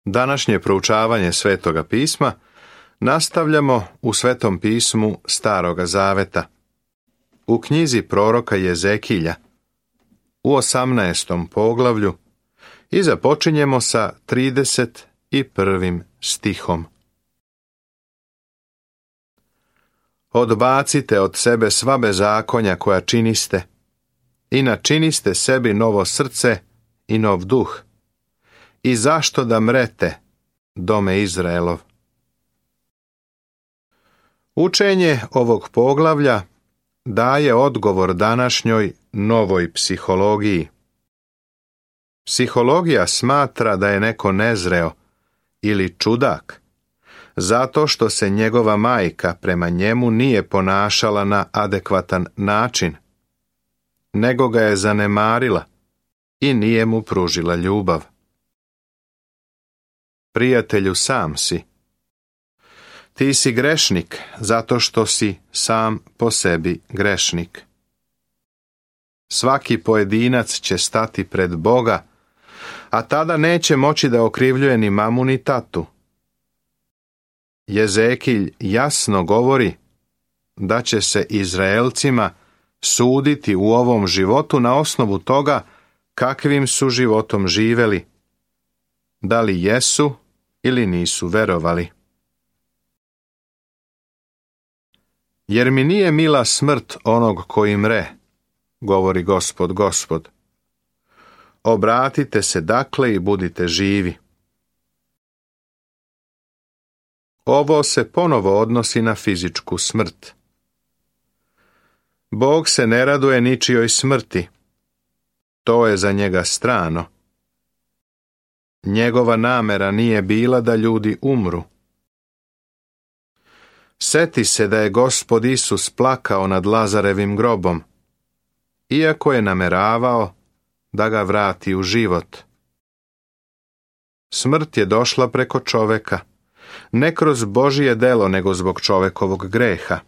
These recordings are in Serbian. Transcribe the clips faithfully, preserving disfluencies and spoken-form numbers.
Današnje proučavanje Svetoga pisma nastavljamo u Svetom pismu Staroga zaveta, u knjizi proroka Jezekilja, u osamnaestom poglavlju i započinjemo sa trideset prvim stihom. Odbacite od sebe sva bezakonja koja činiste i načiniste sebi novo srce i nov duh. I zašto da mrete, dome Izraelov? Učenje ovog poglavlja daje odgovor današnjoj novoj psihologiji. Psihologija smatra da je neko nezreo ili čudak, zato što se njegova majka prema njemu nije ponašala na adekvatan način, nego ga je zanemarila i nije mu pružila ljubav. Prijatelju, sam si. Ti si grešnik zato što si sam po sebi grešnik. Svaki pojedinac će stati pred Boga, a tada neće moći da okrivljuje ni mamu ni tatu. Jezekilj jasno govori da će se Izraelcima suditi u ovom životu na osnovu toga kakvim su životom živeli, da li jesu ili nisu verovali. Jer mi nije mila smrt onog koji mre, govori Gospod, Gospod. Obratite se dakle i budite živi. Ovo se ponovo odnosi na fizičku smrt. Bog se ne raduje ničijoj smrti. To je za njega strano. Njegova namera nije bila da ljudi umru. Seti se da je Gospod Isus plakao nad Lazarevim grobom, iako je nameravao da ga vrati u život. Smrt je došla preko čoveka, ne kroz Božije delo, nego zbog čovekovog greha.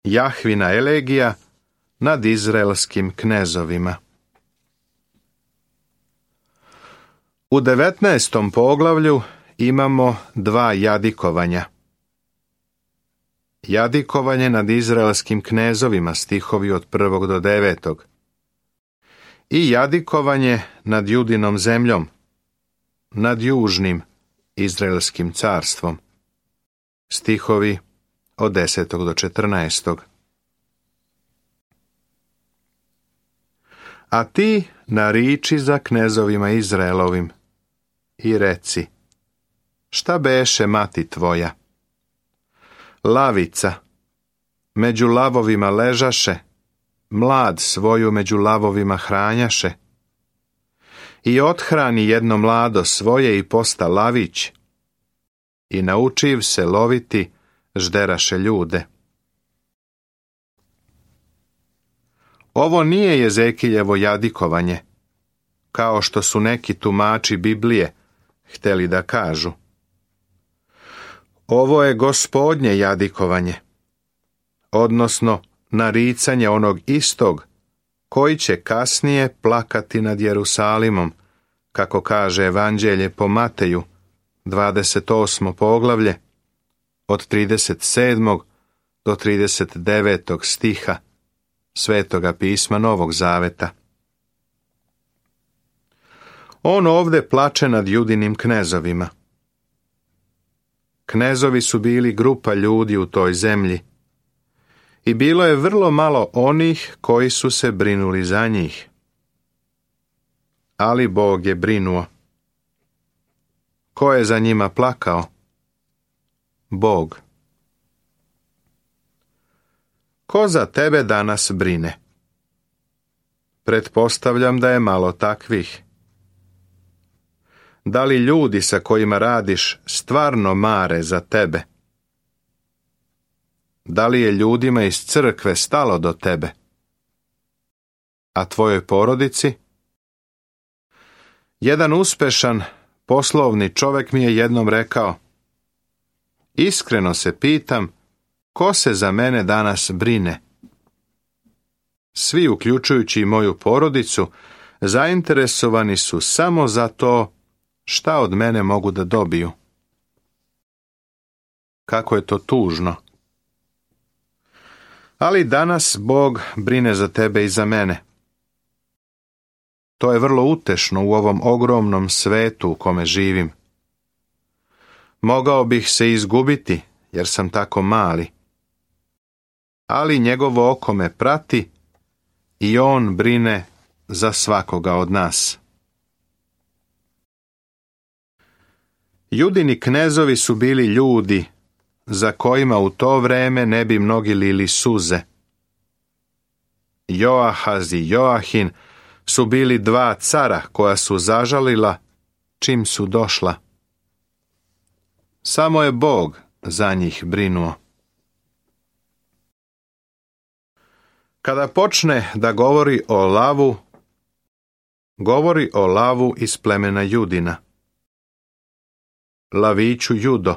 Jahvina elegija nad izraelskim knezovima. U devetnaestom poglavlju imamo dva jadikovanja. Jadikovanje nad izraelskim knezovima, stihovi od prvog do devetog. I jadikovanje nad Judinom zemljom, nad južnim izraelskim carstvom, stihovi od desetog do četrnaestog. A ti nariči za knezovima Izraelovim i reci: šta beše mati tvoja? Lavica, među lavovima ležaše, mlad svoju među lavovima hranjaše. I othrani jedno mlado svoje i posta lavić, i naučiv se loviti, žderaše ljude. Ovo nije Jezekiljevo jadikovanje, kao što su neki tumači Biblije hteli da kažu. Ovo je Gospodnje jadikovanje, odnosno naricanje onog istog koji će kasnije plakati nad Jerusalimom, kako kaže Evanđelje po Mateju, dvadeset osmo poglavlje, od trideset sedmog do trideset devetog stiha Svetoga pisma Novog zaveta. On ovde plače nad Judinim knezovima. Knezovi su bili grupa ljudi u toj zemlji i bilo je vrlo malo onih koji su se brinuli za njih. Ali Bog je brinuo. Ko je za njima plakao? Bog. Ko za tebe danas brine? Pretpostavljam da je malo takvih. Da li ljudi sa kojima radiš stvarno mare za tebe? Da li je ljudima iz crkve stalo do tebe? A tvojoj porodici? Jedan uspešan poslovni čovjek mi je jednom rekao: iskreno se pitam, ko se za mene danas brine? Svi, uključujući i moju porodicu, zainteresovani su samo za to šta od mene mogu da dobiju. Kako je to tužno. Ali danas Bog brine za tebe i za mene. To je vrlo utešno u ovom ogromnom svetu u kome živim. Mogao bih se izgubiti, jer sam tako mali. Ali njegovo oko me prati i on brine za svakoga od nas. Judini knezovi su bili ljudi za kojima u to vreme ne bi mnogi lili suze. Joahaz i Joahin su bili dva cara koja su zažalila čim su došla. Samo je Bog za njih brinuo. Kada počne da govori o lavu, govori o lavu iz plemena Judina. Laviću Judo,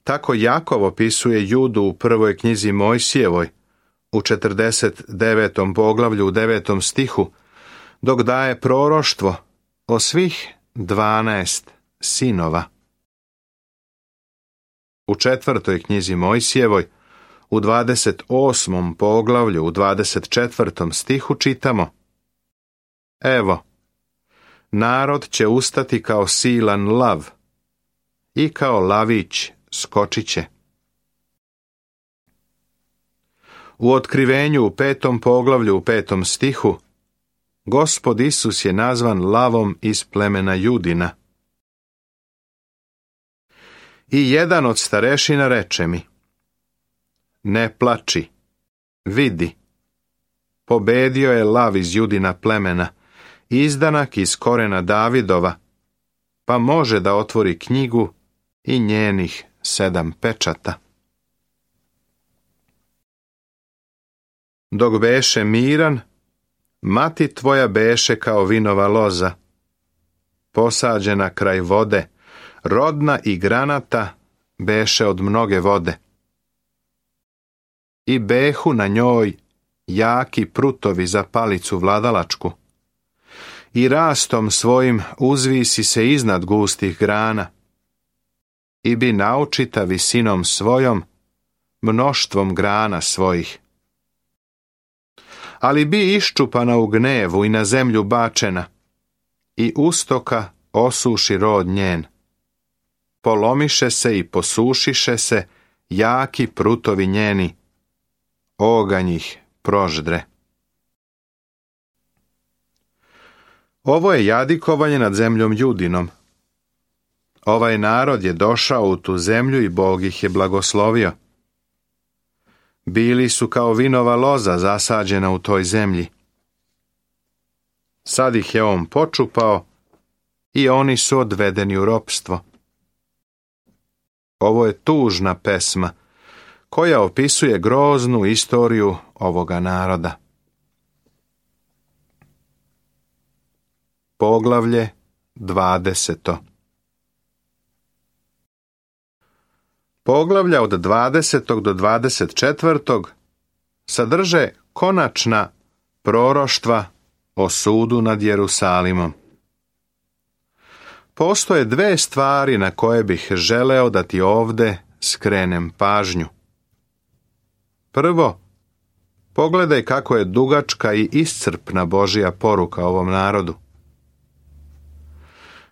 tako Jakov opisuje Judu u prvoj knjizi Mojsijevoj, u četrdeset devetom poglavlju u devetom stihu, dok daje proroštvo o svih dvanaest sinova. U četvrtoj knjizi Mojsijevoj, u dvadeset osmom poglavlju u dvadeset četvrtom stihu čitamo: Evo, narod će ustati kao silan lav i kao lavić skočit će. U otkrivenju u petom poglavlju u petom stihu Gospod Isus je nazvan lavom iz plemena Judina. I jedan od starešina reče mi: Ne plači, vidi, pobedio je lav iz Judina plemena, izdanak iz korena Davidova, pa može da otvori knjigu i njenih sedam pečata. Dok beše miran, mati tvoja beše kao vinova loza, posađena kraj vode, rodna i granata beše od mnoge vode. I behu na njoj jaki prutovi za palicu vladalačku, i rastom svojim uzvisi se iznad gustih grana, i bi naučita visinom svojom, mnoštvom grana svojih. Ali bi iščupana u gnevu i na zemlju bačena, i ustoka osuši rod njen. Polomiše se i posušiše se jaki prutovi njeni, oganj ih proždre. Ovo je jadikovanje nad zemljom Judinom. Ovaj narod je došao u tu zemlju i Bog ih je blagoslovio. Bili su kao vinova loza zasađena u toj zemlji. Sad ih je on počupao i oni su odvedeni u ropstvo. Ovo je tužna pesma koja opisuje groznu istoriju ovoga naroda. Poglavlje dvadeseto. Poglavlja od dvadesetog do dvadeset četvrtog sadrže konačna proroštva o sudu nad Jerusalimom. Postoje dve stvari na koje bih želeo da ti ovde skrenem pažnju. Prvo, pogledaj kako je dugačka i iscrpna Božja poruka ovom narodu.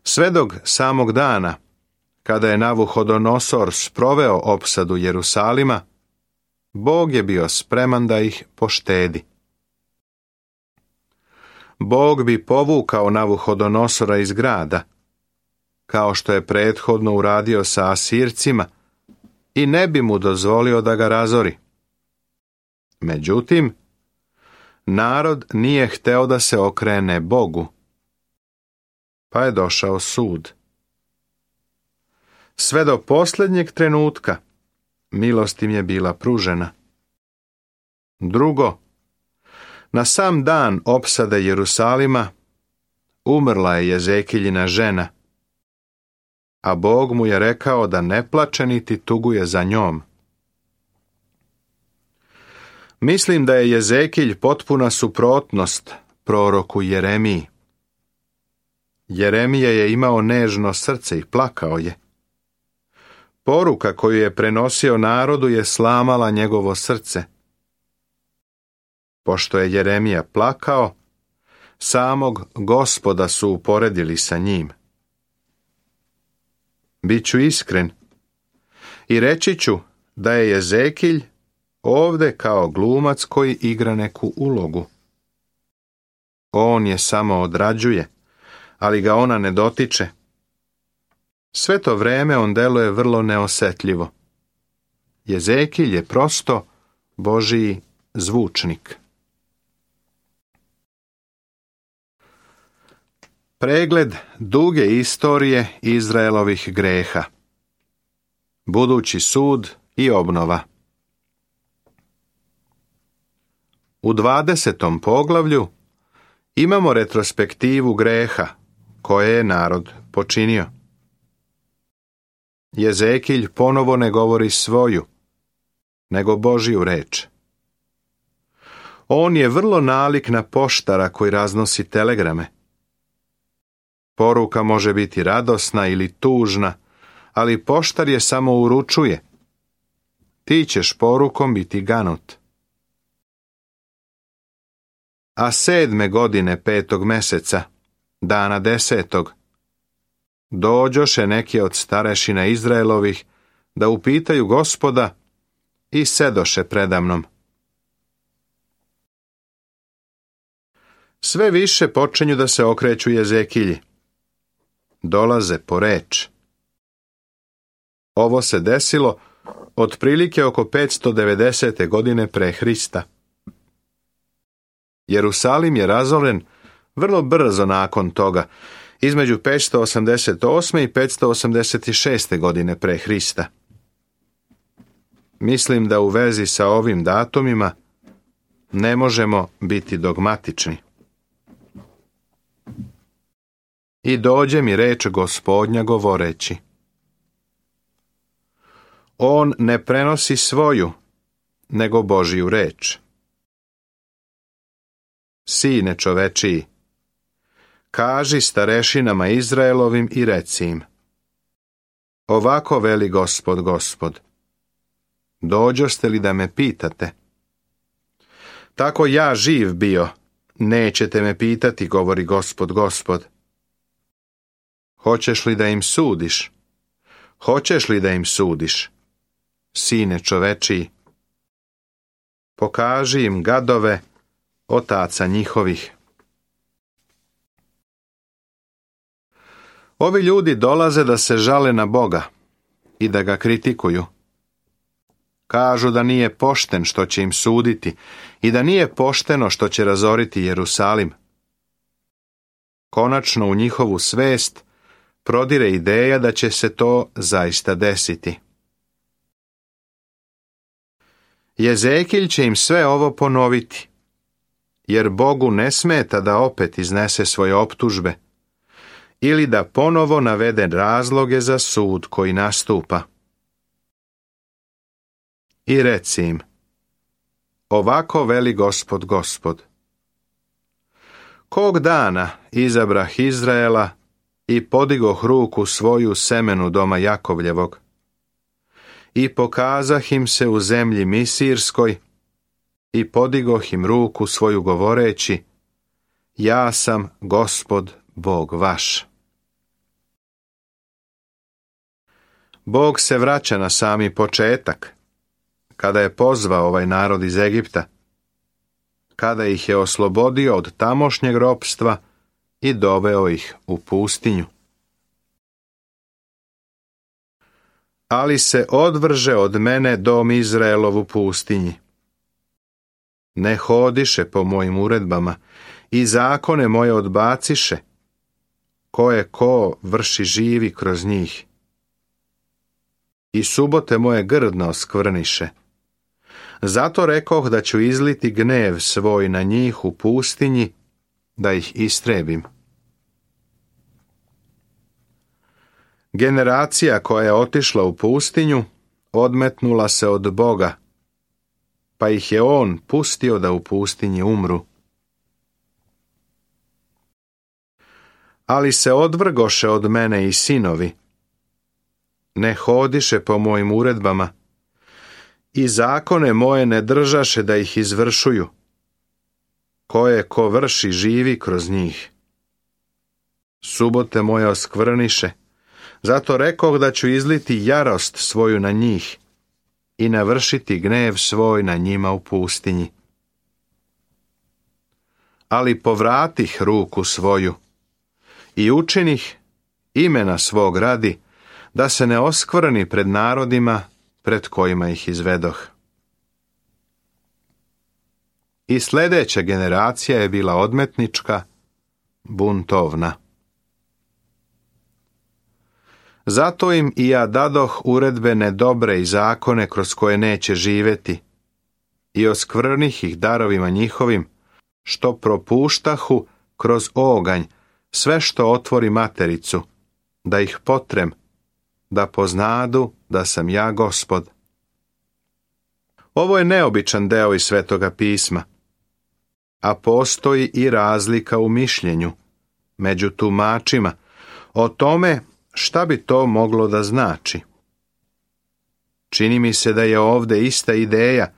Sve do samog dana, kada je Navuhodonosor sproveo opsadu Jerusalima, Bog je bio spreman da ih poštedi. Bog bi povukao Navuhodonosora iz grada, kao što je prethodno uradio sa Asircima, i ne bi mu dozvolio da ga razori. Međutim, narod nije hteo da se okrene Bogu, pa je došao sud. Sve do posljednjeg trenutka milost im je bila pružena. Drugo, na sam dan opsade Jerusalima umrla je Jezekiljina žena, a Bog mu je rekao da ne plače niti tuguje za njom. Mislim da je Jezekilj potpuna suprotnost proroku Jeremiji. Jeremija je imao nežno srce i plakao je. Poruka koju je prenosio narodu je slamala njegovo srce. Pošto je Jeremija plakao, samog Gospoda su uporedili sa njim. Biću iskren i reći ću da je Jezekilj ovde kao glumac koji igra neku ulogu. On je samo odrađuje, ali ga ona ne dotiče. Sve to vreme on deluje vrlo neosetljivo. Jezekilj je prosto Božiji zvučnik. Pregled duge istorije Izraelovih greha. Budući sud i obnova. U dvadesetom poglavlju imamo retrospektivu greha koje je narod počinio. Jezekilj ponovo ne govori svoju, nego Božiju reč. On je vrlo nalik na poštara koji raznosi telegrame. Poruka može biti radosna ili tužna, ali poštar je samo uručuje. Ti ćeš porukom biti ganut. A sedme godine petog meseca, dana desetog, dođoše neki od starešina Izraelovih da upitaju Gospoda i sedoše predamnom. Sve više počinju da se okreću Jezekilji. Dolaze po reč. Ovo se desilo otprilike oko petsto devedesete godine pre Hrista. Jerusalim je razoren vrlo brzo nakon toga, između petsto osamdeset osme i petsto osamdeset šeste godine pre Hrista. Mislim da u vezi sa ovim datumima ne možemo biti dogmatični. I dođe mi reč Gospodnja govoreći. On ne prenosi svoju, nego Božiju reč. Sine čovečiji, kaži starešinama Izraelovim i reci im. Ovako veli Gospod, Gospod. Dođoste li da me pitate? Tako ja živ bio, nećete me pitati, govori Gospod, Gospod. Hoćeš li da im sudiš? Hoćeš li da im sudiš? Sine čovečiji, pokaži im gadove otaca njihovih. Ovi ljudi dolaze da se žale na Boga i da ga kritikuju. Kažu da nije pošten što će im suditi i da nije pošteno što će razoriti Jerusalim. Konačno u njihovu svest prodire ideja da će se to zaista desiti. Jezekilj će im sve ovo ponoviti, jer Bogu ne smeta da opet iznese svoje optužbe ili da ponovo navede razloge za sud koji nastupa. I reci im, ovako veli Gospod, Gospod. Kog dana izabrah Izraela i podigoh ruku svoju semenu doma Jakovljevog i pokazah im se u zemlji Misirskoj i podigoh im ruku svoju govoreći, ja sam Gospod Bog vaš. Bog se vraća na sami početak, kada je pozvao ovaj narod iz Egipta, kada ih je oslobodio od tamošnjeg ropstva i doveo ih u pustinju. Ali se odvrže od mene dom Izraelov u pustinji. Ne hodiše po mojim uredbama i zakone moje odbaciše, koje ko vrši živi kroz njih. I subote moje grdno oskvrniše. Zato rekoh da ću izliti gnev svoj na njih u pustinji, da ih istrebim. Generacija koja je otišla u pustinju, odmetnula se od Boga, pa ih je on pustio da u pustinji umru. Ali se odvrgoše od mene i sinovi. Ne hodiše po mojim uredbama i zakone moje ne držaše da ih izvršuju. Koje ko vrši živi kroz njih. Subote moje oskvrniše, zato rekoh da ću izliti jarost svoju na njih i navršiti gnev svoj na njima u pustinji. Ali povratih ruku svoju i učinih imena svog radi, da se ne oskvrni pred narodima pred kojima ih izvedoh. I sljedeća generacija je bila odmetnička, buntovna. Zato im i ja dadoh uredbe nedobre i zakone kroz koje neće živjeti, i oskvrnih ih darovima njihovim, što propuštahu kroz oganj sve što otvori matericu, da ih potrem, da poznadu da sam ja Gospod. Ovo je neobičan deo iz Svetoga pisma, a postoji i razlika u mišljenju među tumačima o tome šta bi to moglo da znači. Čini mi se da je ovdje ista ideja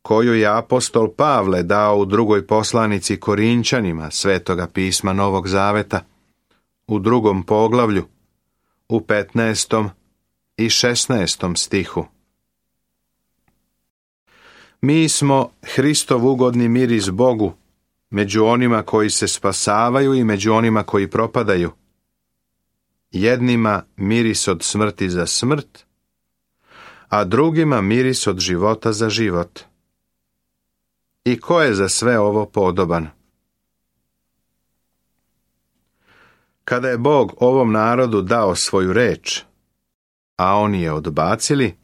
koju je apostol Pavle dao u drugoj poslanici Korinčanima Svetoga pisma Novog Zaveta, u drugom poglavlju, u petnaestom i šesnaestom stihu. Mi smo Hristov ugodni miris Bogu, među onima koji se spasavaju i među onima koji propadaju. Jednima miris od smrti za smrt, a drugima miris od života za život. I ko je za sve ovo podoban? Kada je Bog ovom narodu dao svoju reč, a oni je odbacili,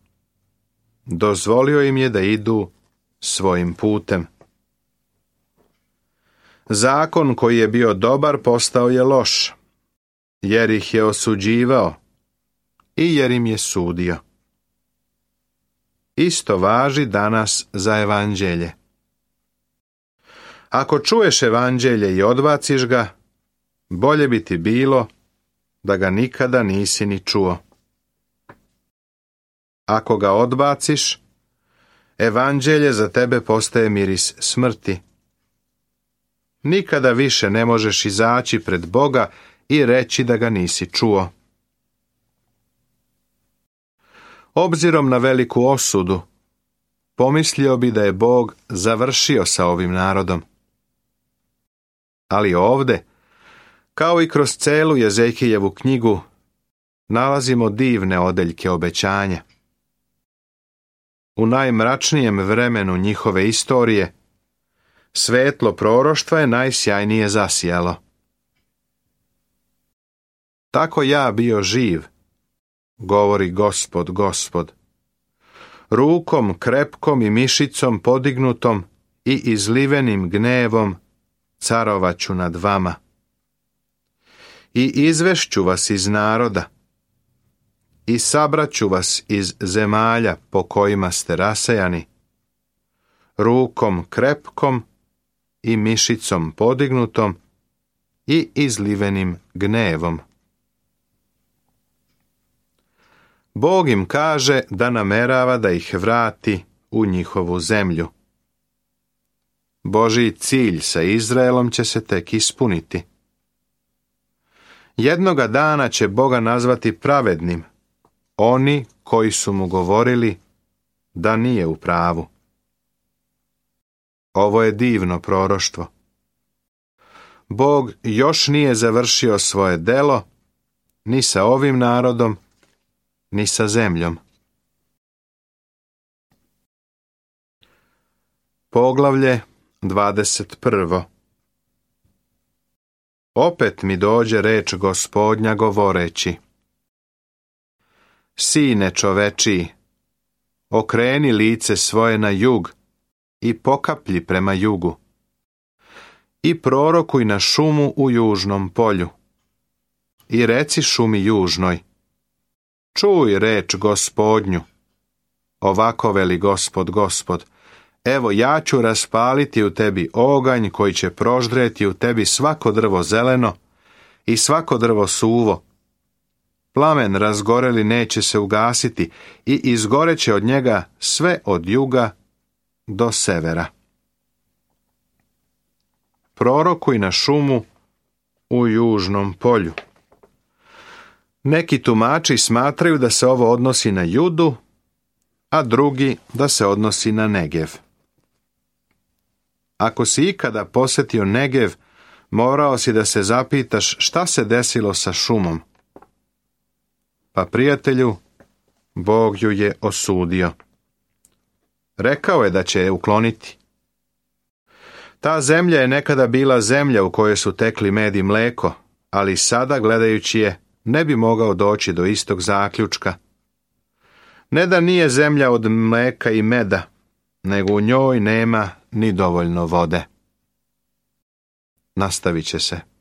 dozvolio im je da idu svojim putem. Zakon koji je bio dobar postao je loš, jer ih je osuđivao i jer im je sudio. Isto važi danas za evanđelje. Ako čuješ evanđelje i odbaciš ga, bolje bi ti bilo da ga nikada nisi ni čuo. Ako ga odbaciš, evanđelje za tebe postaje miris smrti. Nikada više ne možeš izaći pred Boga i reći da ga nisi čuo. Obzirom na veliku osudu, pomislio bi da je Bog završio sa ovim narodom. Ali ovdje, kao i kroz celu Jezekijevu knjigu, nalazimo divne odeljke obećanja. U najmračnijem vremenu njihove istorije, svetlo proroštva je najsjajnije zasijalo. Tako ja bio živ, govori Gospod, Gospod, rukom krepkom i mišicom podignutom i izlivenim gnevom carovaću nad vama. I izvešću vas iz naroda, i sabraću vas iz zemalja po kojima ste rasejani, rukom krepkom i mišicom podignutom i izlivenim gnevom. Bog im kaže da namerava da ih vrati u njihovu zemlju. Božji cilj sa Izraelom će se tek ispuniti. Jednoga dana će Boga nazvati pravednim oni koji su mu govorili da nije u pravu. Ovo je divno proroštvo. Bog još nije završio svoje delo ni sa ovim narodom, ni sa zemljom. Poglavlje dvadeset prvo. Opet mi dođe reč Gospodnja govoreći: Sine čovečiji, okreni lice svoje na jug i pokaplji prema jugu. I prorokuj na šumu u južnom polju. I reci šumi južnoj: Čuj reč Gospodnju. Ovako veli Gospod, Gospod: Evo ja ću raspaliti u tebi oganj koji će proždreti u tebi svako drvo zeleno i svako drvo suvo. Plamen razgoreli neće se ugasiti i izgoreće od njega sve od juga do severa. Prorokuj na šumu u južnom polju. Neki tumači smatraju da se ovo odnosi na Judu, a drugi da se odnosi na Negev. Ako si ikada posjetio Negev, morao si da se zapitaš šta se desilo sa šumom. Pa prijatelju, Bog ju je osudio. Rekao je da će je ukloniti. Ta zemlja je nekada bila zemlja u kojoj su tekli med i mleko, ali sada, gledajući je, ne bi mogao doći do istog zaključka. Ne da nije zemlja od mleka i meda, nego u njoj nema ni dovoljno vode. Nastavit će se.